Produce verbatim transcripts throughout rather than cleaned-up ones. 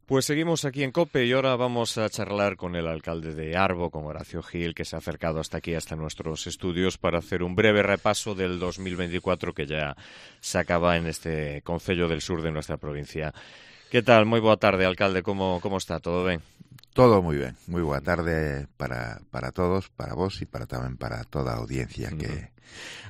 Pues seguimos aquí en COPE y ahora vamos a charlar con el alcalde de Arbo, con Horacio Gil, que se ha acercado hasta aquí, hasta nuestros estudios, para hacer un breve repaso del dos mil veinticuatro que ya se acaba en este concello del sur de nuestra provincia. ¿Qué tal? Moi boa tarde, alcalde. Como, como está? Todo ben? Todo muy bien. Muy boa tarde para, para todos, para vos y para tamén para toda a audiencia que...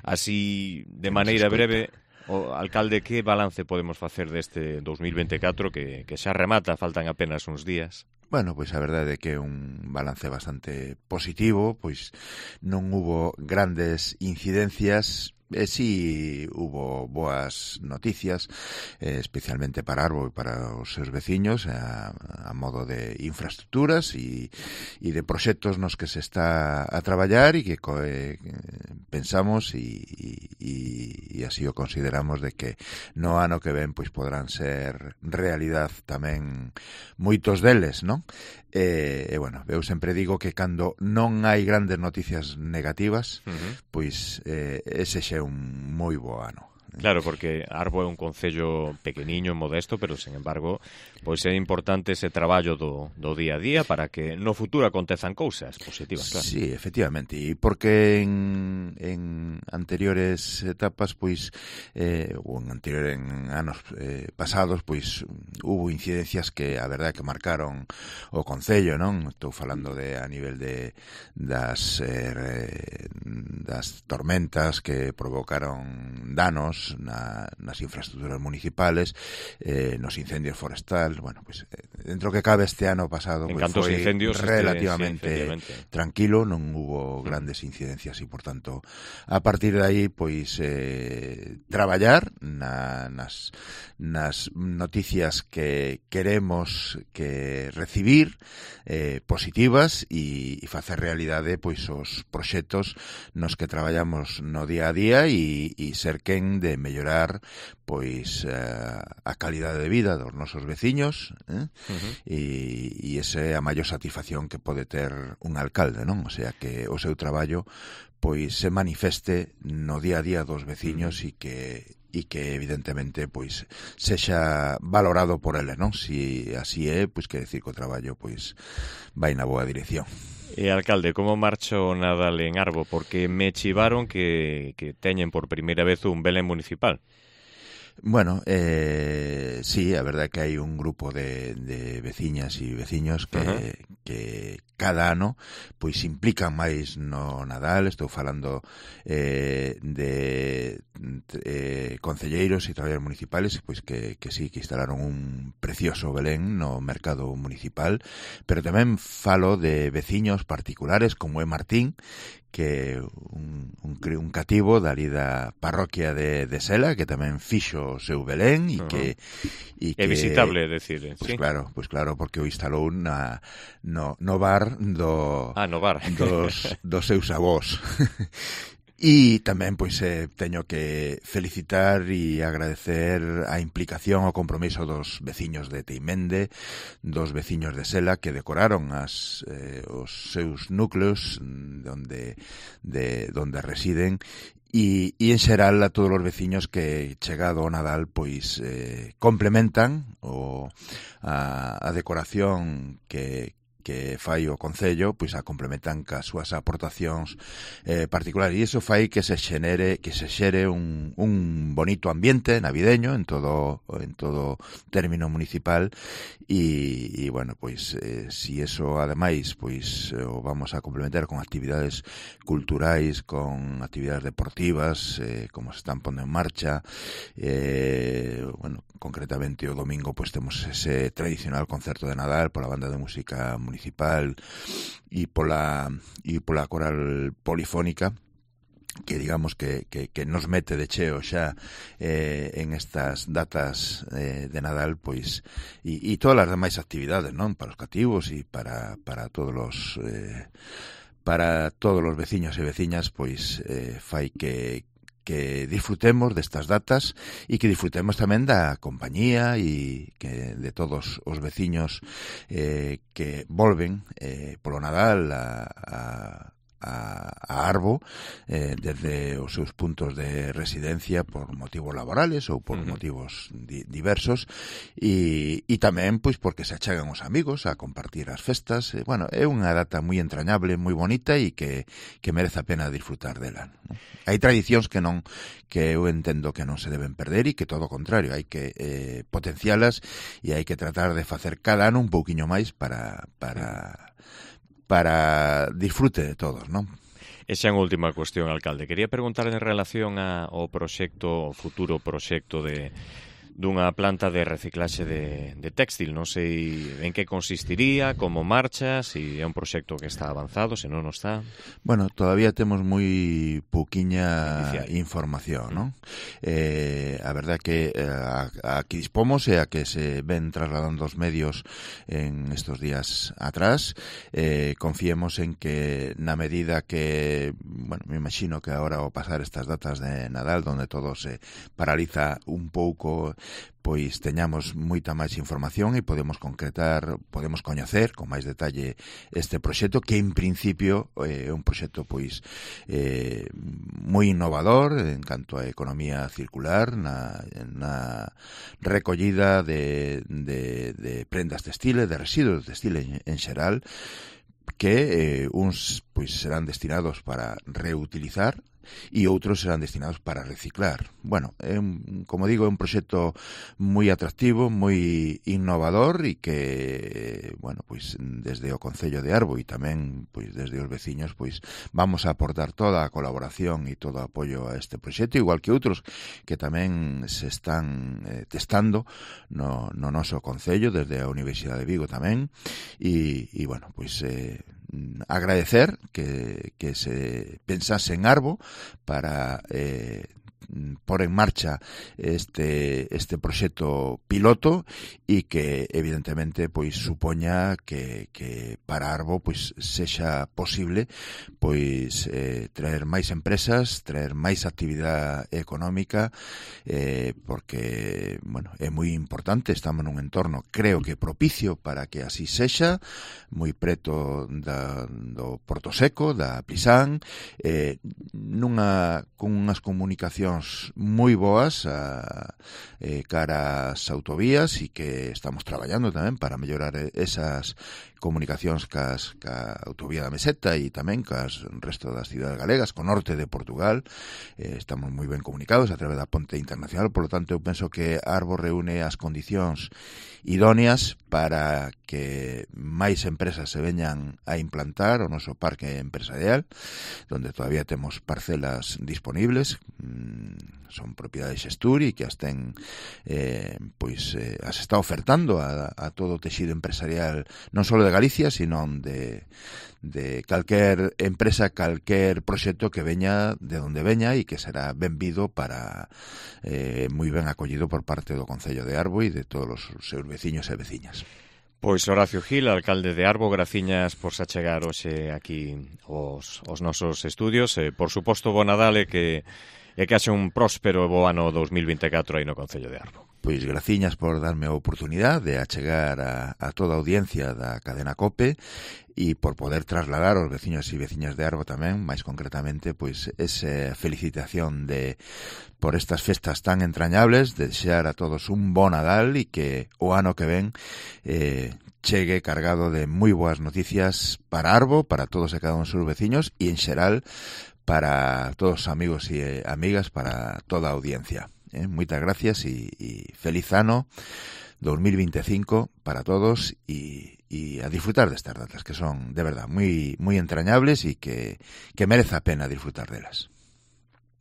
Así, de maneira breve... O, alcalde, que balance podemos facer deste dos mil veinticuatro que, que xa remata, faltan apenas uns días? Bueno, pois a verdade é que é un balance bastante positivo, pois non hubo grandes incidencias, e si hubo boas noticias, eh, especialmente para Arbo e para os seus veciños, a, a modo de infraestructuras e, e de proxectos nos que se está a traballar e que eh, pensamos e, e, e así o consideramos de que no ano que ven pois podrán ser realidad tamén moitos deles, non? E, e bueno, eu sempre digo que cando non hai grandes noticias negativas, uh-huh. pois eh, ese xa é un moi bo ano. Claro, porque Arbo é un concello pequeniño, modesto, pero, sen embargo, pois é importante ese traballo do, do día a día para que no futuro acontezan cousas positivas, claro. Sí, efectivamente, e porque en, en anteriores etapas, pois, eh, ou en anterior en anos eh, pasados, pois, hubo incidencias que, a verdade, que marcaron o concello, non? Estou falando de a nivel de das, eh, das tormentas que provocaron danos Na, nas infraestructuras municipales, eh, nos incendios forestal. Bueno, pues dentro que cabe este ano pasado pues, foi incendios relativamente este, sí, tranquilo, non hubo grandes incidencias e, por tanto, a partir de aí, pois, eh, traballar na, nas, nas noticias que queremos que recibir, eh, positivas, e, e facer realidade, pois, os proxectos nos que traballamos no día a día e, e ser quen de mellorar pois uh, a calidade de vida dos nosos veciños, eh? uh-huh. e, e esa é a maior satisfacción que pode ter un alcalde, non? O sea, que o seu traballo pois se manifeste no día a día dos veciños uh-huh. e que e que evidentemente pois sexa valorado por eles, non? Si así é, pois quer decir que o traballo pois vai na boa dirección. E, alcalde, como marcha o Nadal en Arbo? Porque me chivaron que, que teñen por primeira vez un Belén municipal. Bueno, eh, sí, a verdade que hai un grupo de, de veciñas e veciños que, uh-huh. que cada ano pois implican máis no Nadal. Estou falando eh, de eh, concelleiros e traballadores municipales pois que, que sí, que instalaron un precioso Belén no mercado municipal, pero tamén falo de veciños particulares como é Martín, que un, un, un cativo dali da parroquia de, de Sela, que tamén fixo o seu Belén e uh-huh. que, e é que visitable, decir, pues sí. claro, pues claro, porque o instalou na, no, no bar do ah, no bar dos, dos seus avós. E tamén, pois, eh, teño que felicitar e agradecer a implicación, o compromiso dos veciños de Teimende, dos veciños de Sela, que decoraron as, eh, os seus núcleos donde, de, donde residen, e, e en xeral a todos os veciños que, chegado o Nadal, pois eh, complementan o, a, a decoración que que fai o Concello, pois a complementan cas súas aportacións eh, particulares, e iso fai que se xenere, que se xere un, un bonito ambiente navideño en todo en todo término municipal, e, e bueno, pois eh, si eso ademais pois o vamos a complementar con actividades culturais, con actividades deportivas, eh, como se están pondo en marcha, eh, bueno, concretamente o domingo pois temos ese tradicional concerto de Nadal pola banda de música municipal e pola e pola coral polifónica, que digamos que, que, que nos mete de cheo xa eh, en estas datas eh, de Nadal, pois e, e todas as demais actividades, non? Para os cativos e para, para todos os eh, para todos os veciños e veciñas, pois eh, fai que que disfrutemos destas datas e que disfrutemos tamén da compañía e que de todos os veciños eh, que volven eh, polo Nadal a, a a, a Arbo eh, desde os seus puntos de residencia por motivos laborales ou por uh-huh. motivos di, diversos e, e tamén pois porque se achegan os amigos a compartir as festas. Eh, bueno, é unha data moi entrañable, moi bonita e que, que merece a pena disfrutar dela, ¿no? Hai tradicións que non que eu entendo que non se deben perder e que todo o contrario, hai que eh, potencialas e hai que tratar de facer cada ano un pouquiño máis para para para disfrute de todos, non? E xa unha última cuestión, alcalde. Quería preguntar en relación a, ao proxecto, o futuro proxecto de dunha planta de reciclaxe de, de téxtil. Non sei en que consistiría, como marcha, se é un proxecto que está avanzado, se non está. Bueno, todavía temos moi pouquiña Inicial. información, non? Eh, a verdade que a, a que dispomos e a que se ven trasladando os medios en estos días atrás, eh, confiemos en que na medida que, bueno, me imagino que agora ao pasar estas datas de Nadal, donde todo se paraliza un pouco, pois teñamos moita máis información e podemos concretar, podemos coñecer con máis detalle este proxecto que en principio é eh, un proxecto pois eh, moi innovador en canto a economía circular na, na recollida de, de, de prendas textiles, de residuos textiles en, en xeral, que eh, uns pois serán destinados para reutilizar e outros serán destinados para reciclar. Bueno, é un, como digo, é un proxecto moi atractivo, moi innovador e que, bueno, pois desde o Concello de Arbo e tamén pois desde os veciños, pois vamos a aportar toda a colaboración e todo o apoio a este proxecto, igual que outros que tamén se están eh, testando no, no noso Concello, desde a Universidade de Vigo tamén, e, e bueno, pois eh, agradecer que, que se pensase en Arbo para eh, por en marcha este este proxecto piloto e que evidentemente pois supoña que, que para Arbo pois sexa posible pois eh, traer máis empresas, traer máis actividade económica, eh, porque bueno, é moi importante, estamos nun entorno creo que propicio para que así sexa, moi preto da, do Porto Seco, da Plisán, eh, nunha con unhas comunicacións moi boas a, eh, cara ás autovías e que estamos traballando tamén para mellorar esas comunicacións cas, ca autovía da Meseta e tamén cas resto das cidades galegas, co norte de Portugal. Eh, estamos moi ben comunicados a través da ponte internacional, por lo tanto eu penso que Arbo reúne as condicións idóneas para que máis empresas se veñan a implantar o noso parque empresarial, donde todavía temos parcelas disponibles, mmm, son propiedades Xesturi que as ten eh, pois eh, as está ofertando a, a todo o texido empresarial non só de Galicia, sino de, de calquer empresa, calquer proxecto que veña de onde veña e que será benvido para eh, moi ben acollido por parte do Concello de Arbo e de todos os seus veciños e veciñas. Pois Horacio Gil, alcalde de Arbo, graciñas por se achegar hoxe aquí os, os nosos estudios. Eh, por suposto, bo Nadal e que e que haxe un próspero bo ano dos mil vinte e catro aí no Concello de Arbo. Pois graciñas por darme a oportunidade de achegar a, a toda a audiencia da cadena COPE e por poder trasladar aos veciños e veciñas de Arbo tamén, máis concretamente, pois esa felicitación de por estas festas tan entrañables, de desear a todos un bo Nadal e que o ano que ven eh, chegue cargado de moi boas noticias para Arbo, para todos e cada un dos seus veciños e en xeral para todos os amigos e amigas, para toda a audiencia. Eh, moitas gracias e, e feliz ano dos mil vinte e cinco para todos e, e a disfrutar destas datas que son, de verdad, moi moi entrañables e que, que merece a pena disfrutar delas.